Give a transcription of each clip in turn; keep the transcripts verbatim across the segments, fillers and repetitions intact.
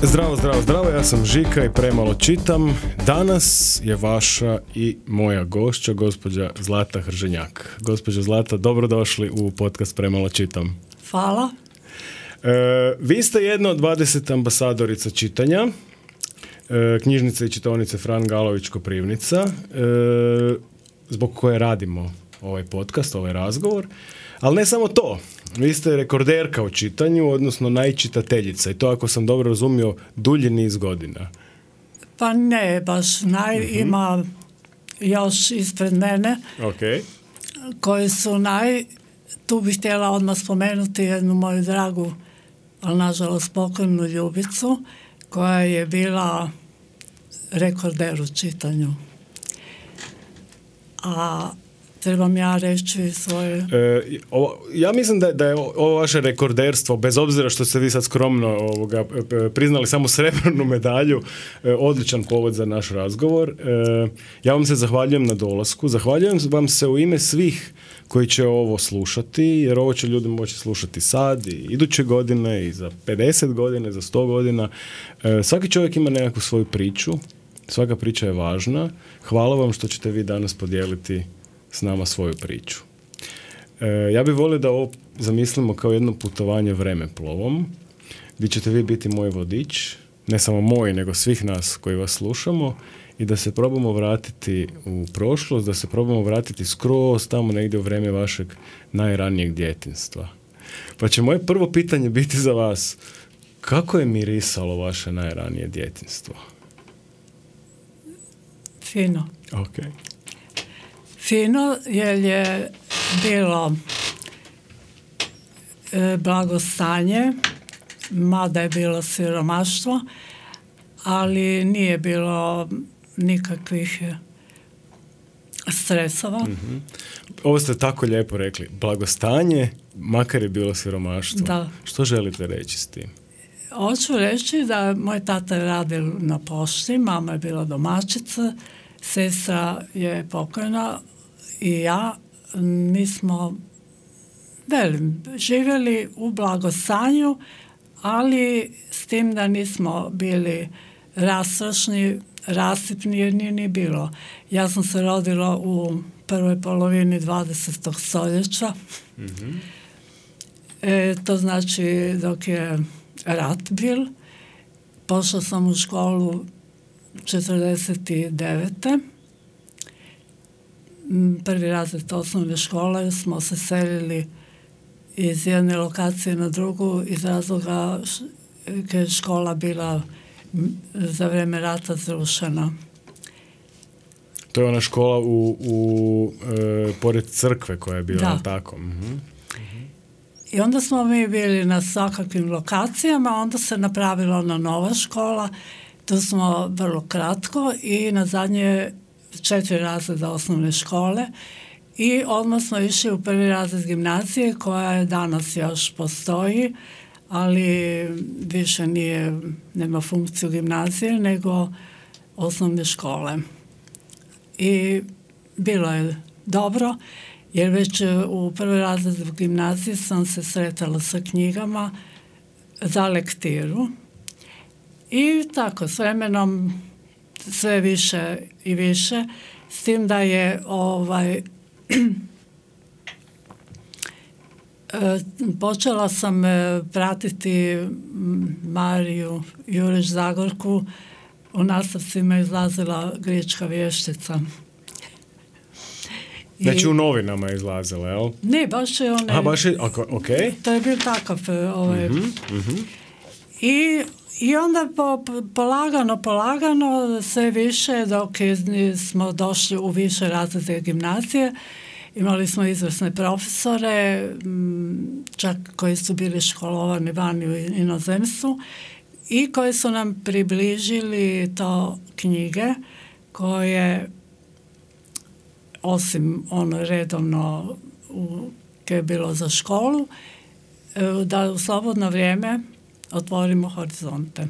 Zdravo, zdravo, zdravo, ja sam Žika i premalo čitam. Danas je vaša i moja gošća, gospođa Zlata Hrženjak. Gospođa Zlata, dobrodošli u podcast Premalo čitam. Hvala. E, vi ste jedna od dvadeset ambasadorica čitanja, e, knjižnice i čitaonice Fran Galović Koprivnica, e, zbog koje radimo ovaj podcast, ovaj razgovor. Ali ne samo to, vi ste rekorderka u čitanju, odnosno najčitateljica, i to, ako sam dobro razumio, dulji niz godina. Pa ne, baš naj, uh-huh. Ima još ispred mene, okay. koji su naj, tu bih htjela odmah spomenuti jednu moju dragu, ali nažalost pokojnu Ljubicu, koja je bila rekorder u čitanju. A trebam ja reći svoje... E, ovo, ja mislim da, da je ovo vaše rekorderstvo, bez obzira što ste vi sad skromno ovoga, priznali samo srebrnu medalju, e, odličan povod za naš razgovor. E, ja vam se zahvaljujem na dolasku. Zahvaljujem vam se u ime svih koji će ovo slušati, jer ovo će ljudi moći slušati sad i iduće godine i za pedeset godina, za sto godina. E, svaki čovjek ima nekakvu svoju priču. Svaka priča je važna. Hvala vam što ćete vi danas podijeliti s nama svoju priču. E, ja bih volio da ovo zamislimo kao jedno putovanje vremeplovom, gdje ćete vi biti moj vodič, ne samo moj, nego svih nas koji vas slušamo, i da se probamo vratiti u prošlost, da se probamo vratiti skroz tamo negdje u vrijeme vašeg najranijeg djetinjstva. Pa će moje prvo pitanje biti za vas: kako je mirisalo vaše najranije djetinjstvo? Fino. Ok. Fino, jer je bilo e, blagostanje, mada je bilo siromaštvo, ali nije bilo nikakvih stresova. Mm-hmm. Ovo ste tako lijepo rekli. Blagostanje, makar je bilo siromaštvo. Da. Što želite reći s tim? Hoću reći da moj tata je radio na pošti, mama je bila domaćica, sestra je pokojna i ja, mi smo velim, živjeli u blagostanju, ali s tim da nismo bili rastrošni, rasipni, jer nije ni bilo. Ja sam se rodila u prvoj polovini dvadesetog stoljeća. Mm-hmm. E, to znači dok je rat bil. Pošla sam u školu četrdeset devete. Prvi razred osnovne škole smo se selili iz jedne lokacije na drugu iz razloga što je škola bila za vrijeme rata zrušena. To je ona škola u, u e, pored crkve koja je bila, da. Tako. Mm-hmm. I onda smo mi bili na svakakvim lokacijama, onda se napravila ona nova škola, tu smo vrlo kratko i na zadnje četiri razreda osnovne škole i odmah smo išli u prvi razred gimnazije koja je danas još postoji, ali više nije, nema funkciju gimnazije nego osnovne škole. I bilo je dobro, jer već u prvoj razredu gimnazije sam se sretala sa knjigama za lektiru i tako s vremenom sve više i više, s tim da je ovaj počela sam pratiti Mariju Jurić Zagorku, u nastavcima izlazila Grička vještica. Znači I, u novinama je izlazila, jel? Ne, baš je one... A, baš je, ok. To je bio takav ovaj... Mm-hmm, mm-hmm. I, I onda po, polagano, polagano, sve više, dok smo došli u više razrede gimnazije, imali smo izvrsne profesore, čak koji su bili školovani vani u inozemstvu i koji su nam približili to knjige koje, osim ono redovno u, koje je bilo za školu, da u slobodno vrijeme otvorimo horizonte.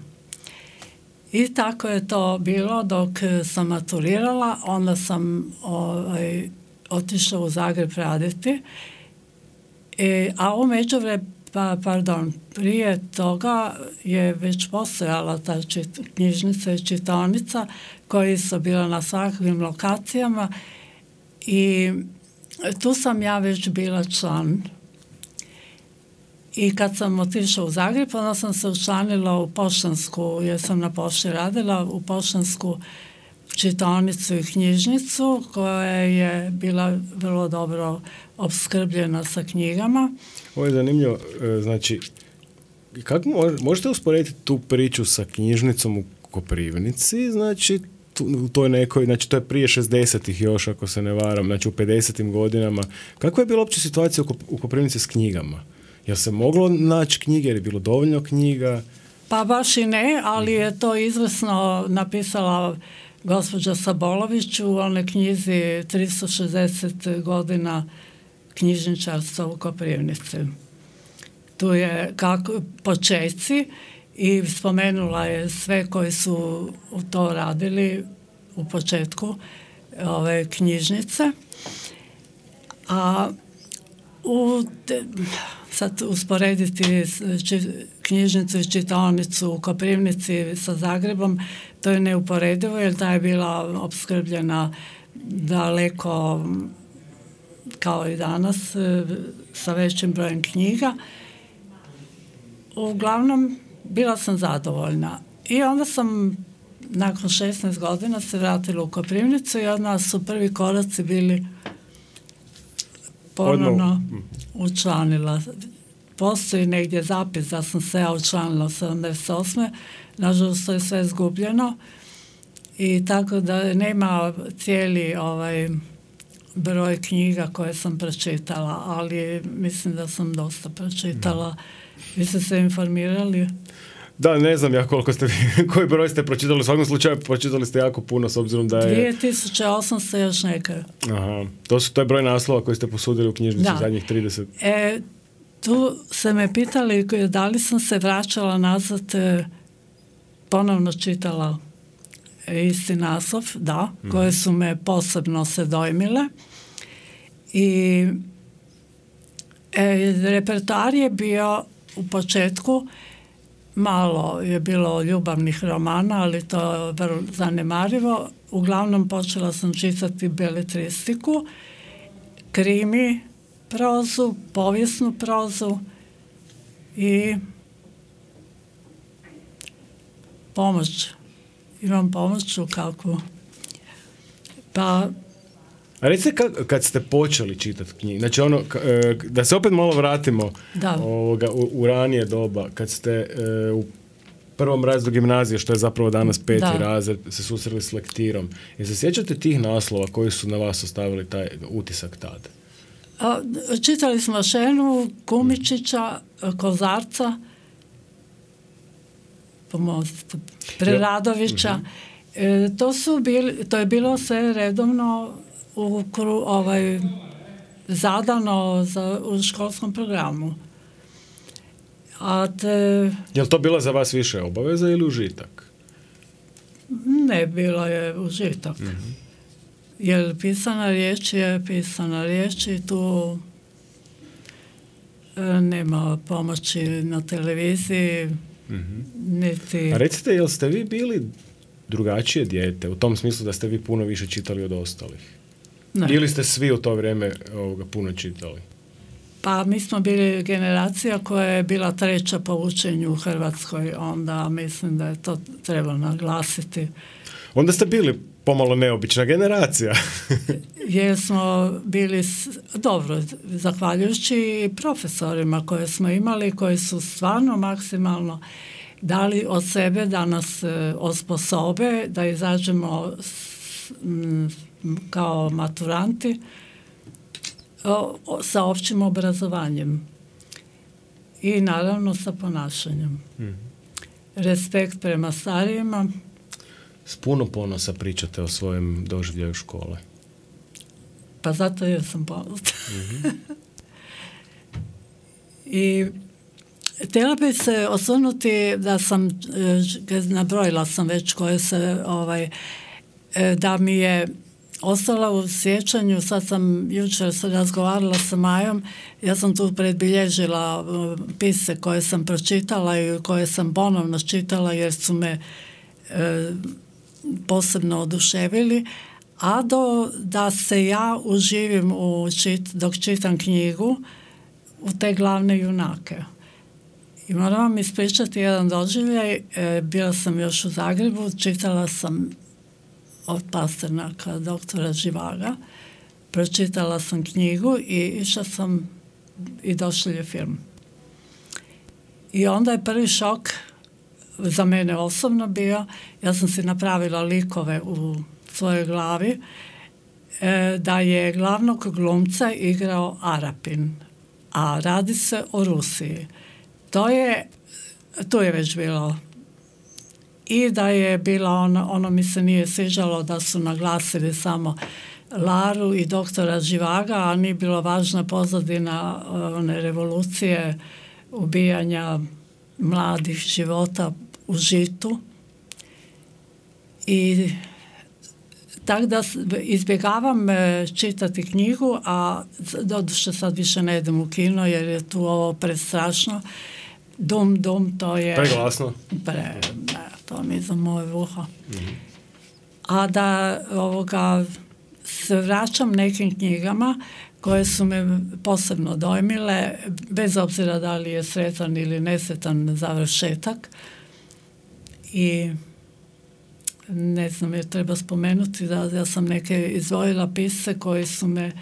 I tako je to bilo dok sam maturirala, onda sam ovaj, otišla u Zagreb raditi, e, a u međuvremenu Pa, pardon, prije toga je već postojala ta čit, knjižnica i čitaonica koji su bila na svakakvim lokacijama i tu sam ja već bila član. I kad sam otišla u Zagreb, onda sam se učlanila u poštansku, jer sam na pošti radila, u poštansku čitaonicu i knjižnicu koja je bila vrlo dobro opskrbljena sa knjigama. Ovo je zanimljivo, znači, kako možete usporediti tu priču sa knjižnicom u Koprivnici, znači, u toj nekoj, znači to je prije šezdesetih još, ako se ne varam, znači u pedesetim godinama. Kakva je bila uopće situacija u Koprivnici s knjigama? Jel se moglo naći knjige, jer je bilo dovoljno knjiga? Pa baš i ne, ali je to izvrsno napisala gospođa Sabolović u onoj knjizi tristo šezdeset godina knjižničarstva u Koprivnici. Tu je kako, počeci i spomenula je sve koji su u to radili u početku ove knjižnice. A u te, sad usporediti či, knjižnicu i čitaonicu u Koprivnici sa Zagrebom, to je neuporedivo jer ta je bila opskrbljena daleko kao i danas sa većim brojem knjiga. Uglavnom, bila sam zadovoljna. I onda sam nakon šesnaest godina se vratila u Koprivnicu i od nas su prvi koraci bili ponovno učlanila. Postoji negdje zapis da sam se ja učlanila sedamdeset osme Nažalost, to je sve izgubljeno. I tako da nema cijeli ovaj broj knjiga koje sam pročitala, ali mislim da sam dosta pročitala. Vi ste se informirali? Da, ne znam ja koliko ste, koji broj ste pročitali, u svakom slučaju pročitali ste jako puno s obzirom da je... dvije tisuće osamsto još neke. Aha, to, su, to je broj naslova koji ste posudili u knjižnici zadnjih trideset. E, tu se me pitali da li sam se vraćala nazad, e, ponovno čitala isti naslov, da, mm-hmm. koje su me posebno se dojmile. I e, repertoar je bio u početku, malo je bilo ljubavnih romana, ali to je vrlo zanemarivo. Uglavnom počela sam čitati beletristiku, krimi prozu, povijesnu prozu i pomoć. Imam pomoć u kakvu. Pa... A recite kad, kad ste počeli čitati knjige, znači ono, da se opet malo vratimo ovoga, u, u ranije doba, kad ste e, u prvom razredu gimnazije, što je zapravo danas peti da. razred, se susreli s lektirom. I se sjećate tih naslova koji su na vas ostavili taj utisak tada? A, čitali smo Šenu, Kumičića, Kozarca, pomozite, Preradovića. Mm-hmm. E, to su bili, to je bilo sve redovno u kru, ovaj, zadano za, u školskom programu. A te... Je li to bila za vas više obaveza ili užitak? Ne, bilo je užitak. Mm-hmm. Jer pisana riječ je pisana riječ i tu e, nema pomoći na televiziji. Mm-hmm. Niti... A recite, jel ste vi bili drugačije dijete, u tom smislu da ste vi puno više čitali od ostalih? Ne. Ili ste svi u to vrijeme ovoga puno čitali? Pa mi smo bili generacija koja je bila treća po učenju u Hrvatskoj, onda mislim da je to treba naglasiti. Onda ste bili pomalo neobična generacija. Jer smo bili, dobro, zahvaljujući profesorima koje smo imali, koji su stvarno maksimalno dali od sebe da nas osposobe, da izađemo s, m, kao maturanti o, o, sa općim obrazovanjem i naravno sa ponašanjem. Mm. Respekt prema starijima. S puno ponosa pričate o svojem doživljaju škole. Pa zato jer sam ponosna. Mm-hmm. I htjela bi se osvrnuti da sam, nabrojila sam već koje se, ovaj, da mi je ostala u sjećanju. Sad sam jučer razgovarala sa Majom, ja sam tu predbilježila pisce koje sam pročitala i koje sam ponovno čitala jer su me e, posebno oduševili, a do da se ja uživim u čit, dok čitam knjigu u te glavne junake. I moram vam ispričati jedan doživljaj. E, bila sam još u Zagrebu, čitala sam od Pasternaka doktora Živaga, pročitala sam knjigu i išla sam i došli je film. I onda je prvi šok za mene osobno bio, ja sam si napravila likove u svojoj glavi, e, da je glavnog glumca igrao Arapin, a radi se o Rusiji. To je, tu je već bilo. I da je bila ono, ono mi se nije sviđalo da su naglasili samo Laru i doktora Živaga, a nije bilo važna pozadina one revolucije, ubijanja mladih života u žitu. I tako da izbjegavam čitati knjigu, a doduše sad više ne idem u kino jer je tu ovo prestrašno. Dum, dum, to je... Preglasno. Pre, ne, to mi je za moje uho. Mm-hmm. A da ovoga se vraćam nekim knjigama koje su me posebno dojmile, bez obzira da li je sretan ili nesretan završetak. I ne znam, jer treba spomenuti da ja sam neke izdvojila pisce koji su me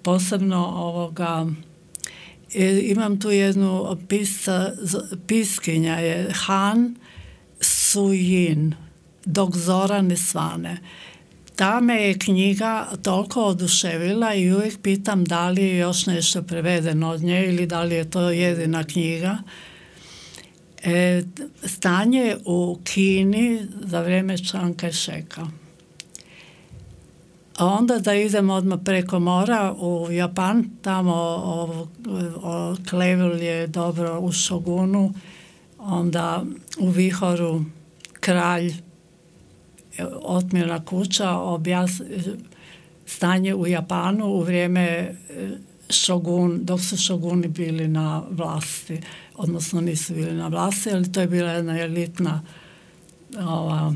posebno ovoga... E, imam tu jednu pisca, piskinja je Han Su-jin, Dok zora ne svane. Ta me je knjiga toliko oduševila i uvijek pitam da li je još nešto prevedeno od nje ili da li je to jedina knjiga. E, stanje u Kini za vrijeme Chiang Kai-sheka. A onda da idemo odmah preko mora u Japan, tamo o, o, Klevil je dobro u Šogunu, onda u Vihoru kralj, otmirna kuća, objas, stanje u Japanu u vrijeme šogun, dok su šoguni bili na vlasti, odnosno nisu bili na vlasti, ali to je bila jedna elitna ova,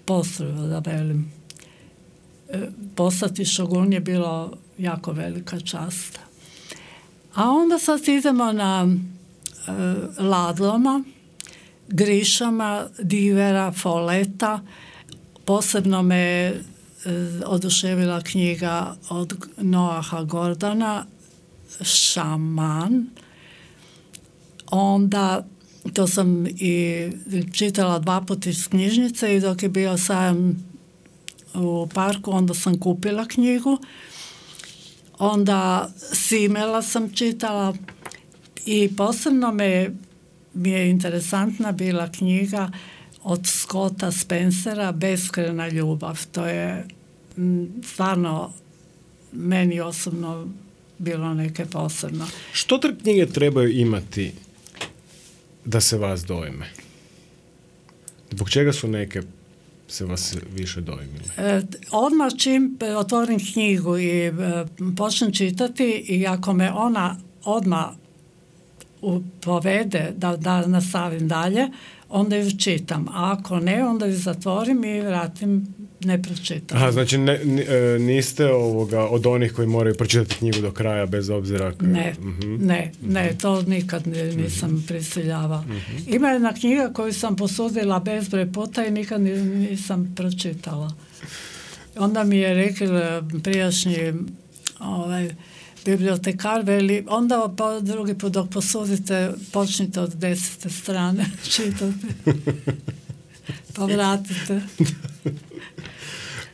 postrojba, da velim. Postati šogun je bilo jako velika čast. A onda sad idemo na e, Ladloma, Grišama, Divera, Foleta. Posebno me e, oduševila knjiga od Noaha Gordona, Šaman. Onda, to sam i čitala dva puta iz knjižnice i dok je bio sajam u parku, onda sam kupila knjigu. Onda Simela sam čitala i posebno me, mi je interesantna bila knjiga od Scotta Spencera, Beskrajna ljubav. To je m, stvarno meni osobno bilo neke posebno. Što te knjige trebaju imati da se vas dojme? Zbog čega su neke se vas više dojmile? E, odmah čim otvorim knjigu i e, počnem čitati i ako me ona odmah u, povede da, da nastavim dalje, onda ju čitam. A ako ne, onda ju zatvorim i vratim nepročitam. Aha, znači ne, niste ovoga, od onih koji moraju pročitati knjigu do kraja bez obzira... K... Ne, uh-huh. ne, ne, to nikad nisam uh-huh. prisiljava. Uh-huh. Ima jedna knjiga koju sam posudila bezbroj puta i nikad nisam pročitala. Onda mi je rekao prijašnji ovaj, bibliotekar, veli, onda pa drugi put dok posudite, počnite od desete strane čitati. Pa vratite.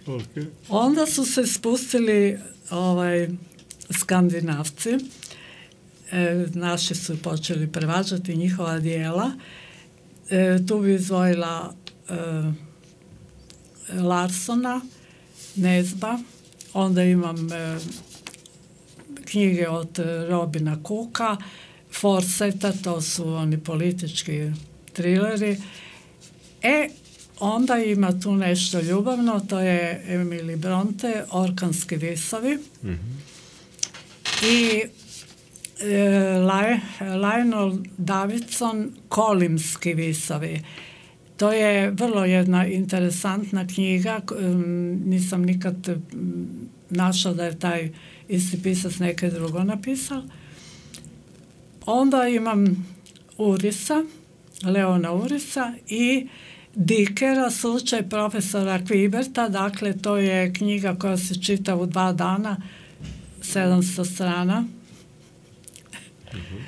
Okay. Onda su se spustili ovaj, Skandinavci. E, naši su počeli prevađati njihova dijela. E, tu bi izdvojila e, Larsona, Nezba. Onda imam e, knjige od Robina Cooka, Forseta, to su oni politički trileri. E, onda ima tu nešto ljubavno, to je Emily Bronte, Orkanski visovi. Mm-hmm. I e, Lionel Davidson, Kolimski visovi. To je vrlo jedna interesantna knjiga, nisam nikad našla da je taj isti pisac neke drugo napisao. Onda imam Urisa, Leona Urisa i Dikera, slučaj profesora Kviberta, dakle to je knjiga koja se čita u dva dana, sedamsto strana. Mm-hmm.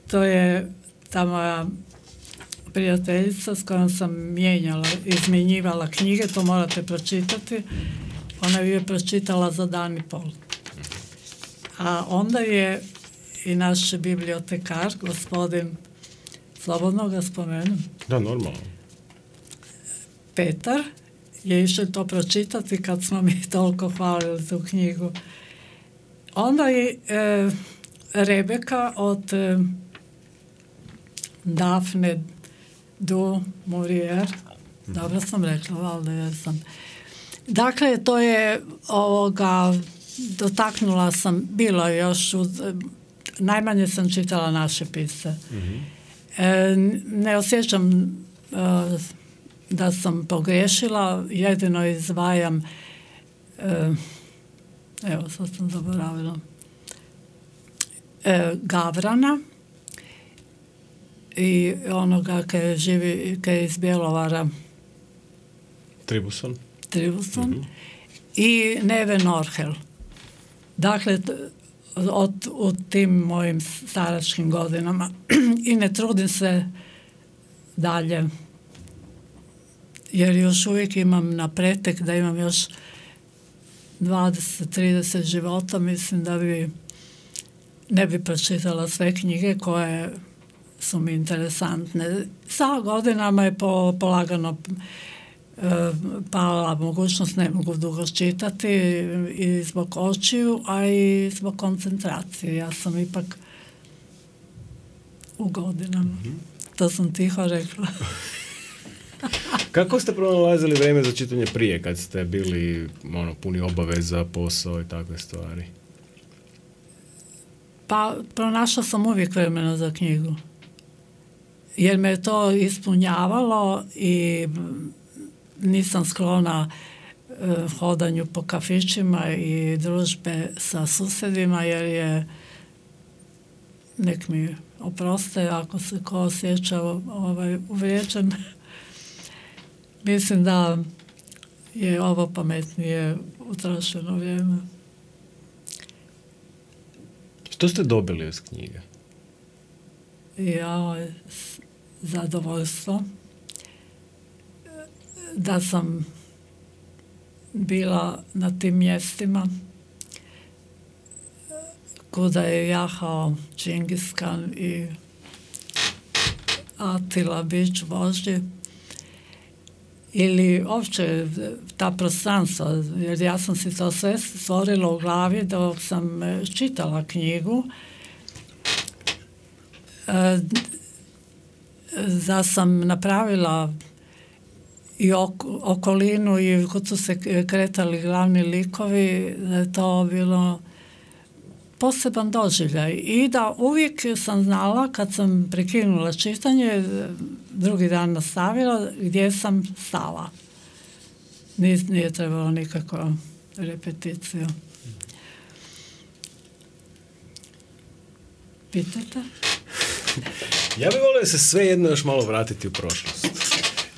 To je ta moja prijateljica s kojom sam mijenjala, izmjenjivala knjige, to morate pročitati. Ona je pročitala za dan i pol. A onda je i naš bibliotekar, gospodin, slobodno ga spomenem. Da, normalno. Petar je išao to pročitati kad smo mi toliko hvalili tu knjigu. Onda je e, Rebeka od e, Daphne du Maurier, dobro sam rekla, valjda jesam. Dakle, to je ovoga, dotaknula sam, bilo je još, uz, najmanje sam čitala naše pisce. Mm-hmm. E, ne osjećam e, da sam pogriješila, jedino izdvajam, e, evo sad sam zaboravila, e, Gavrana i onoga kaj živi, kaj je iz Bjelovara. Tribuson. Tribuson. Mm-hmm. I Neve Norhel. Dakle, od, u tim mojim staračkim godinama i ne trudim se dalje, jer još uvijek imam na pretek da imam još dvadeset do trideset života, mislim da bi ne bi pročitala sve knjige koje su mi interesantne. Sa godinama je po, polagano e, pala mogućnost, ne mogu dugo čitati i zbog očiju, a i zbog koncentracije. Ja sam ipak u godinama. Mm-hmm. To sam tiho rekla. Kako ste pronalazili vrijeme za čitanje prije, kad ste bili ono, puni obaveza, posao i takve stvari? Pa, pronašla sam uvijek vremena za knjigu. Jer me je to ispunjavalo i nisam sklona eh, hodanju po kafićima i družbe sa susjedima, jer je, nek mi oproste ako se ko osjeća ovaj, uvrijeđen. Mislim da je ovo pametnije utrošeno vrijeme. Što ste dobili iz knjige? Ja, zadovoljstvo da sam bila na tim mjestima kuda je jahao Džingis Kan i Atila bić vožđi, ili uopće ta prostranstva, jer ja sam si to sve stvorila u glavi dok sam čitala knjigu. E, da sam napravila i ok, okolinu i kod su se kretali glavni likovi, da je to bilo poseban doživljaj i da uvijek sam znala kad sam prekinula čitanje, drugi dan nastavila gdje sam stala. Nije, nije trebalo nikakvu repeticiju. Pitate? Ja bih volio se sve jedno još malo vratiti u prošlost.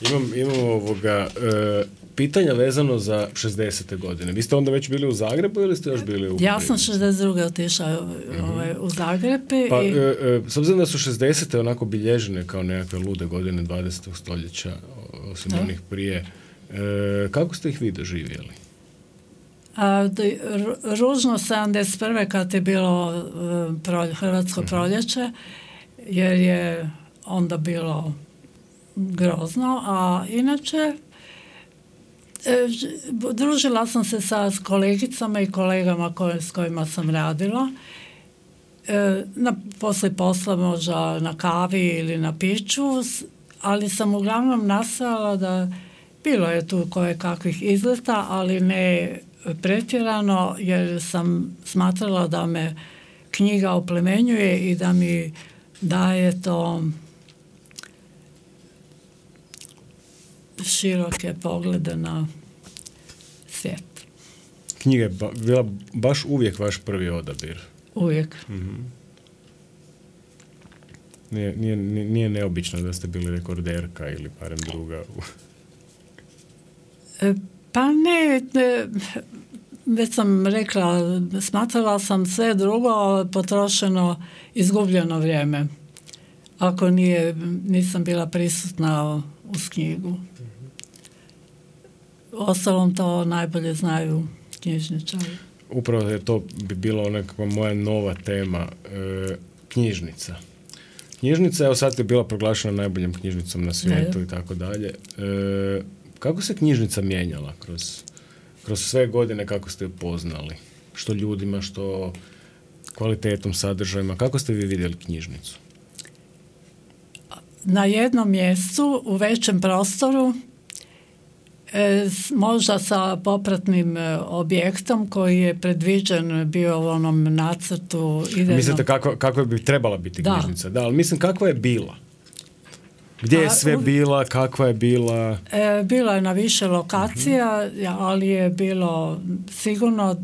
Imam, imam ovoga, e, pitanja vezano za šezdesete godine. Vi ste onda već bili u Zagrebu ili ste još bili u... Ja sam šezdeset druge otišla mm-hmm. ovaj, u Zagreb. Pa, i... e, e, s obzirom da su šezdesete onako bilježene kao nekakve lude godine dvadesetog stoljeća, osim da. onih prije, e, kako ste ih vi doživjeli? A, da, ružno sedamdeset prve kad je bilo prolje, Hrvatsko mm-hmm. proljeće, jer je onda bilo grozno, a inače e, družila sam se sa kolegicama i kolegama koje, s kojima sam radila. E, na, poslije posla možda na kavi ili na piću, ali sam uglavnom nastojala da bilo je tu koje kakvih izleta, ali ne pretjerano, jer sam smatrala da me knjiga oplemenjuje i da mi daje to široke poglede na svijet. Knjiga je ba, bila baš uvijek vaš prvi odabir? Uvijek. Mm-hmm. Nije, nije, nije neobično da ste bili rekorderka ili barem druga? e, pa ne, ne, već sam rekla, smatrala sam sve drugo potrošeno, izgubljeno vrijeme. Ako nije, nisam bila prisutna uz knjigu. Ostalom to najbolje znaju knjižničari. Upravo je to bi bila nekakva moja nova tema, e, knjižnica. Knjižnica, evo sad je bila proglašena najboljom knjižnicom na svijetu i tako dalje. E, kako se knjižnica mijenjala kroz, kroz sve godine, kako ste je poznali? Što ljudima, što kvalitetom, sadržajima, kako ste vi vidjeli knjižnicu? Na jednom mjestu, u većem prostoru, e, možda sa popratnim e, objektom koji je predviđen bio u onom nacrtu idejnom. Mislite kako, kako bi trebala biti da. knjižnica? Da, ali mislim kakva je bila? Gdje je sve bila, kakva je bila? E, bila je na više lokacija, uh-huh. ali je bilo sigurno,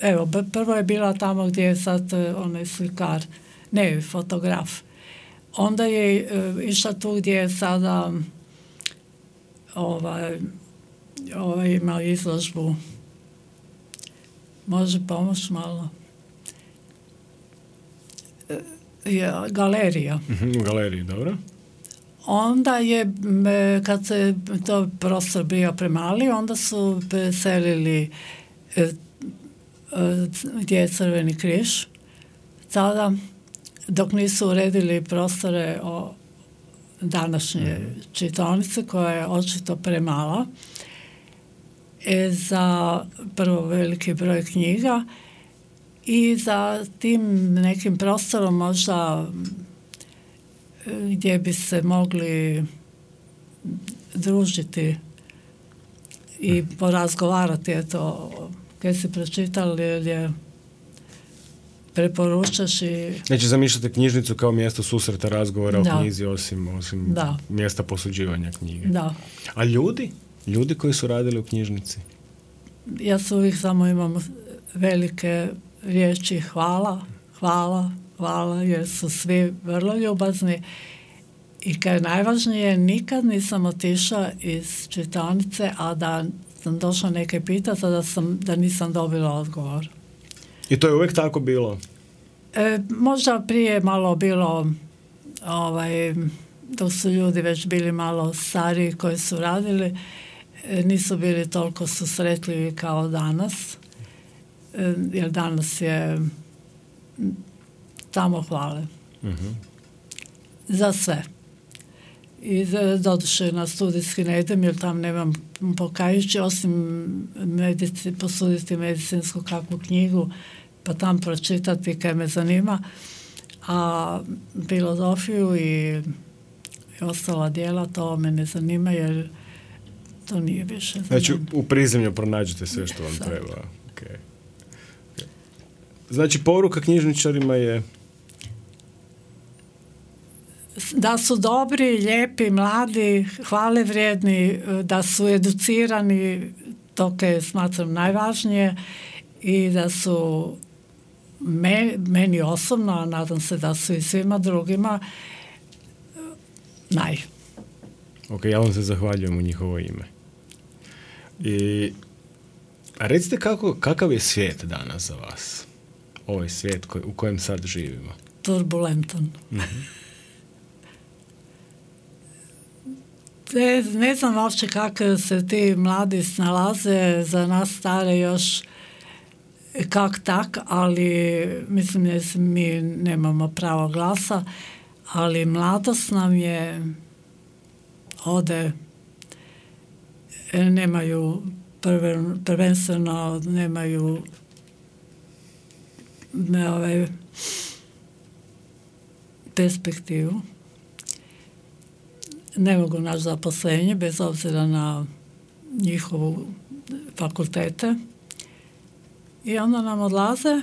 evo, prvo je bila tamo gdje je sad onaj slikar, ne, fotograf. Onda je e, išla tu gdje je sada ovaj, ovaj imao izložbu. Može pomoći malo? E, je, galerija. Uh-huh, galerija, dobro. Onda je, kad se to prostor bio premali, onda su selili gdje je Crveni križ. Sada, dok nisu uredili prostore o današnje čitaonice, koja je očito premala, e, za prvo veliki broj knjiga i za tim nekim prostorom možda gdje bi se mogli družiti i porazgovarati, eto, kad si pročitali ili preporučaš i... Znači, zamišljate knjižnicu kao mjesto susreta, razgovora da. o knjizi, osim, osim da. mjesta posuđivanja knjige. Da. A ljudi? Ljudi koji su radili u knjižnici? Ja su uvijek samo imam velike riječi hvala, hvala, hvala, jer su svi vrlo ljubazni i kad je najvažnije, nikad nisam otišla iz čitaonice, a da sam došla neke pitati, da, sam, da nisam dobila odgovor. I to je uvijek tako bilo? E, možda prije malo bilo, ovaj, dok su ljudi već bili malo stariji koji su radili, e, nisu bili toliko susretljivi kao danas, e, jer danas je tamo hvale. Uh-huh. Za sve. I doduše na studijski ne idem, jer tam nemam pokajući, osim medici, posuditi medicinsku kakvu knjigu, pa tam pročitati kaj me zanima. A filozofiju i, i ostala djela, to me ne zanima, jer to nije više za Znači, mene. u prizemlju pronađete sve što vam Sad. treba. Okay. Okay. Znači, poruka knjižničarima je... Da su dobri, lijepi, mladi, hvale vrijedni, da su educirani, to je smatram najvažnije, i da su me, meni osobno, a nadam se da su i svima drugima, naj. Ok, ja vam se zahvaljujem u njihovo ime. I, a recite kako, kakav je svijet danas za vas? Ovaj svijet koj, u kojem sad živimo. Turbulentan. Mm-hmm. Ne, ne znam uopće kako se ti mladi snalaze, za nas stare još kak tak, ali mislim da mi nemamo pravo glasa, ali mladost nam je ode, nemaju prve, prvenstveno nemaju ne, ove, perspektivu. Ne mogu naći zaposlenje bez obzira na njihovu fakultete i onda nam odlaze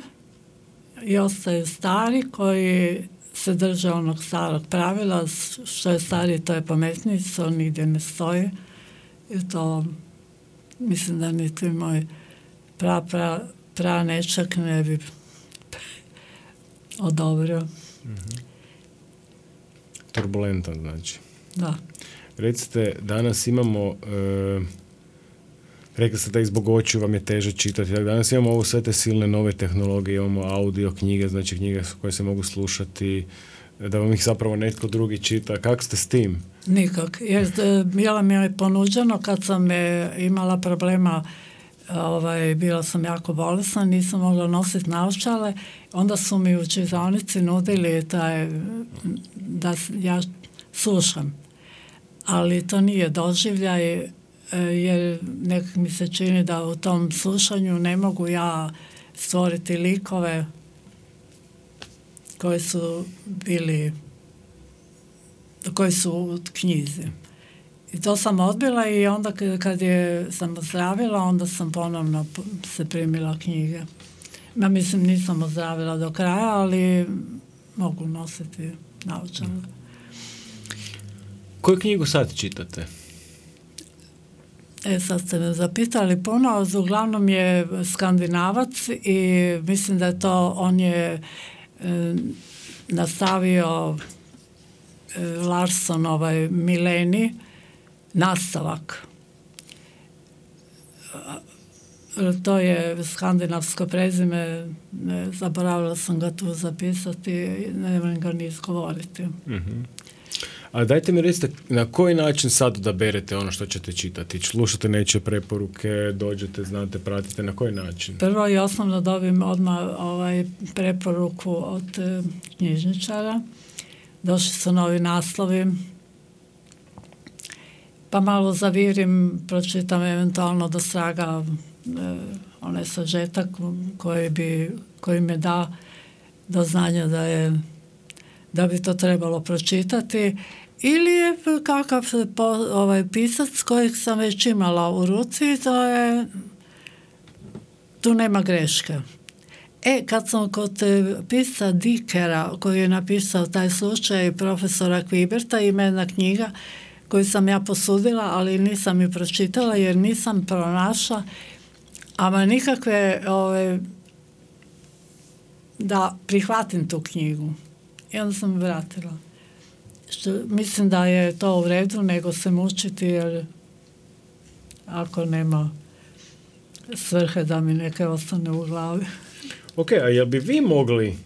i ostaju stari koji se drže onog starog pravila, što je stariji to je pametniji, to nigdje ne stoji i to mislim da niti moj pra, pra, pra nečak ne bi odobrio. Mm-hmm. Turbulentan znači. Da. Recite, danas imamo, e, rekli ste da i zbog očiju vam je teže čitati, danas imamo ovo sve te silne nove tehnologije, imamo audio knjige, znači knjige koje se mogu slušati, da vam ih zapravo netko drugi čita. Kako ste s tim? Nikak, jer bila mi je ponuđeno kad sam je imala problema, ovaj, bila sam jako bolesna, nisam mogla nositi naočale, onda su mi u čitalnici nudili taj, da ja slušam. Ali to nije doživljaj, jer nekak mi se čini da u tom slušanju ne mogu ja stvoriti likove koji su bili, koji su u knjizi. I to sam odbila i onda kad je sam ozdravila, onda sam ponovno se primila knjige. Ja mislim, nisam ozdravila do kraja, ali mogu nositi naočale. Koju knjigu sad čitate? E, sad ste me zapitali puno, uglavnom je Skandinavac i mislim da je to, on je e, nastavio e, Larson, ovaj Mileni, nastavak. To je skandinavsko prezime, ne, zaboravila sam ga tu zapisati, ne moram ga ni izgovoriti. Mm-hmm. A dajte mi recite, na koji način sad odaberete ono što ćete čitati? Slušate nečije preporuke, dođete, znate, pratite, na koji način? Prvo i osnovno dobim odmah ovaj preporuku od e, knjižničara. Došli su novi naslovi, pa malo zavirim, pročitam eventualno do straga e, onaj sažetak koji, bi, koji me da do znanja da je da bi to trebalo pročitati, ili je kakav po, ovaj pisac kojeg sam već imala u ruci, to je, tu nema greške. E, kad sam kod pisca Dickera, koji je napisao taj slučaj profesora Kviberta, ima jedna knjiga koju sam ja posudila, ali nisam ju pročitala jer nisam pronašla ama nikakve ove, da prihvatim tu knjigu. I onda sam vratila. Što, mislim da je to u redu, nego se mučiti, jer ako nema svrhe da mi neke ostane u glavi. Ok, a jel bi vi mogli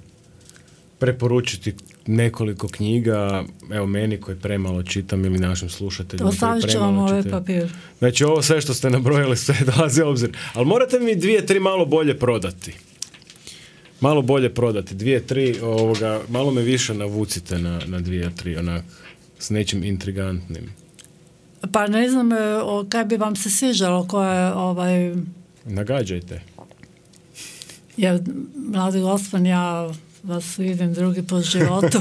preporučiti nekoliko knjiga, evo meni koji premalo čitam ili našim slušateljima koji premalo čitaju? Ostavit ću vam ovaj papir. Znači ovo sve što ste nabrojili sve dolazi u obzir. Ali morate mi dvije, tri malo bolje prodati. Malo bolje prodati, dvije, tri, ovoga, malo me više navucite na, na dvije, tri, onak, s nečim intrigantnim. Pa ne znam, o, kaj bi vam se sviđalo, koje, ovaj... Nagađajte. Jer, mladi gospodin, ja vas vidim drugi po životu.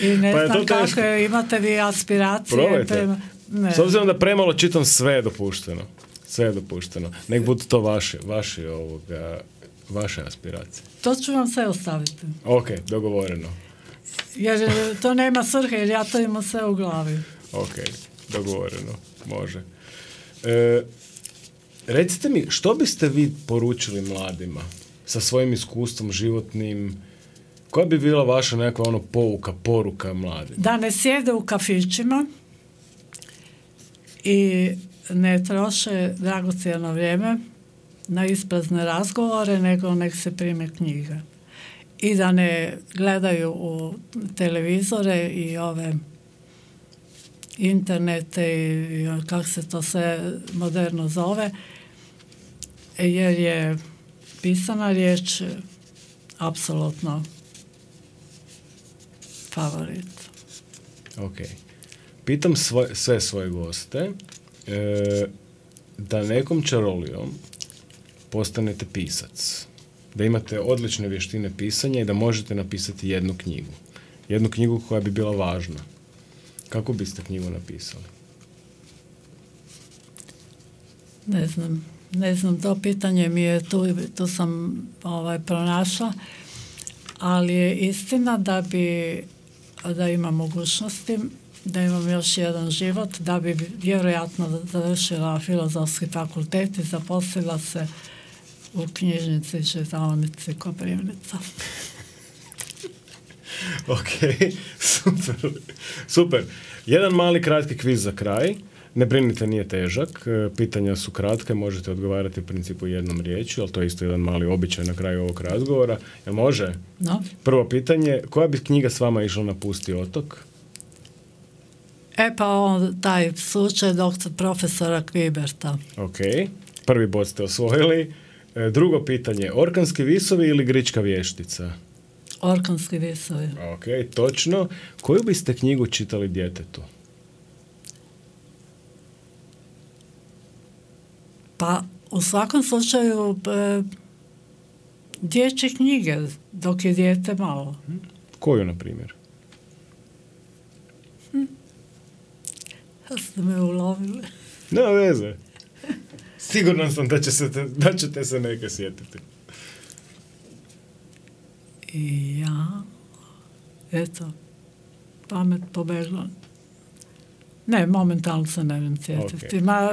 I ne pa znam kako teško. Imate vi aspiracije. Probajte. Prema... Ne. S obzirom da premalo čitam, sve je dopušteno. Sve je dopušteno. Nek budu to vaše, vaše, ovoga, vaše aspiracije. To ću vam sve ostaviti. Ok, dogovoreno. Jer to nema svrhe, jer ja to imam sve u glavi. Ok, dogovoreno. Može. E, recite mi, što biste vi poručili mladima sa svojim iskustvom životnim? Koja bi bila vaša nekakva ono pouka, poruka mladima? Da ne sjede u kafićima i ne troše dragocjeno vrijeme na isprazne razgovore, nego nek se prime knjige. I da ne gledaju u televizore i ove internete i, i kako se to sve moderno zove, jer je pisana riječ apsolutno favorit. Ok. Pitam svoj, sve svoje goste e, da nekom čarolijom postanete pisac. Da imate odlične vještine pisanja i da možete napisati jednu knjigu. Jednu knjigu koja bi bila važna. Kako biste knjigu napisali? Ne znam, ne znam, to pitanje mi je, tu, tu sam ovaj, pronašla, ali je istina da bi, da imam mogućnosti, da imam još jedan život, da bi vjerojatno završila Filozofski fakultet i zaposlila se u knjižnici čitaonici Koprivnica. Ok, super. Super. Jedan mali kratki kviz za kraj. Ne brinite, nije težak. Pitanja su kratke, možete odgovarati u principu jednom riječju, ali to je isto jedan mali običaj na kraju ovog razgovora. Jel može? No. Prvo pitanje, koja bi knjiga s vama išla na Pusti otok? E pa on, taj slučaj doktor profesora Kviberta. Ok, prvi bod ste osvojili. E, drugo pitanje, Orkanski visovi ili Grička vještica? Orkanski visovi. Ok, točno. Koju biste knjigu čitali djetetu? Pa u svakom slučaju e, dječje knjige dok je dijete malo. Koju, na primjer? Hm. Ste me ulovili. Nema veze. Siguran sam da, će se te, da ćete se neke sjetiti. I ja, eto, pamet pobegla. Ne, momentalno se ne vem sjetiti. Okay. Ma,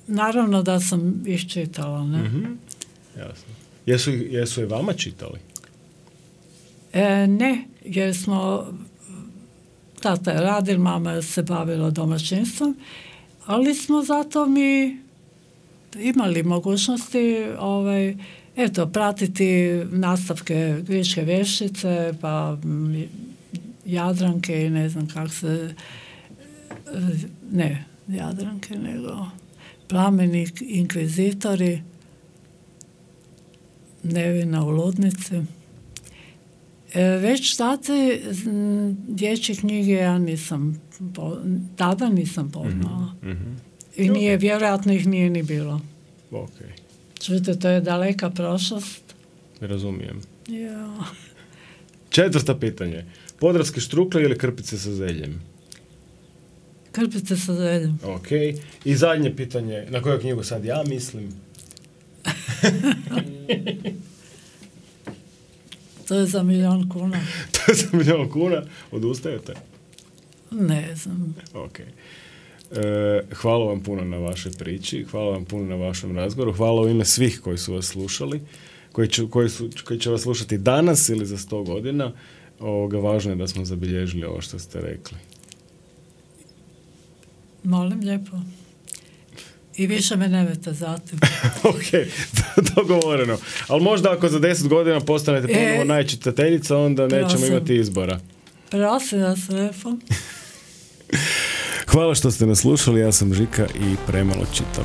naravno da sam iščitala, ne? Mm-hmm. Jasno. Jesu, jesu je vama čitali? E, ne, jer smo tata je radil, mama se bavila domaćinstvom, ali smo zato mi imali mogućnosti ovaj, eto, pratiti nastavke Gričke vještice, pa Jadranke i ne znam kako se, ne Jadranke, nego Plameni inkvizitori, Nevina u ludnici. E, već tate dječje knjige ja nisam, po, tada nisam poznala. Mm-hmm. I nije, vjerojatno ih nije ni bilo. Okay. Čujte, to je daleka prošlost. Razumijem. Ja. Četvrto pitanje. Podravske štrukle ili krpice sa zeljem? Krpice sa zeljem. Ok. I zadnje pitanje. Na koju knjigu sad ja mislim? To je za milijon kuna. To je za milijon kuna? Odustajete? Ne znam. Ok. E, hvala vam puno na vašoj priči, hvala vam puno na vašem razgovoru, hvala u ime svih koji su vas slušali, koji, će, koji, su, koji će vas slušati danas ili za sto godina. Ovoga, važno je da smo zabilježili ovo što ste rekli. Molim lijepo. I više me nemojte zatim. Ok, dogovoreno. Ali možda ako za deset godina postanete ponovo e, najčitateljica, onda nećemo prosim. imati izbora. Prosim vas lijepo. Hvala što ste nas slušali, ja sam Žika i premalo čitam.